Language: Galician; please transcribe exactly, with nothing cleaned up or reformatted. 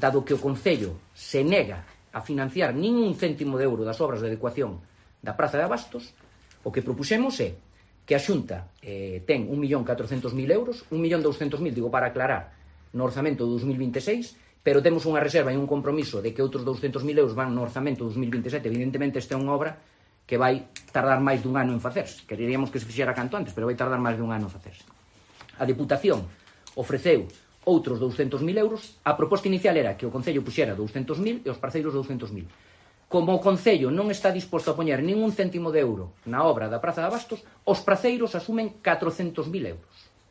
dado que o Concello se nega a financiar nin un céntimo de euro das obras de adecuación da Praza de Abastos, o que propuxemos é que a Xunta eh, ten un millón catrocentos mil euros, un millón douscentos mil, digo, para aclarar, no orzamento do dos mil vinte e seis, pero temos unha reserva e un compromiso de que outros douscentos mil euros van no orzamento do dos mil vinte e sete. Evidentemente, esta é unha obra que vai tardar máis dun ano en facerse. Queríamos que se fixera canto antes, pero vai tardar máis dun ano en facerse. A Deputación ofreceu outros douscentos mil euros. A proposta inicial era que o Concello puxera douscentos mil e os parceiros douscentos mil. Como o Concello non está disposto a poñer ningún céntimo de euro na obra da Praza de Abastos, os parceiros asumen catrocentos mil euros.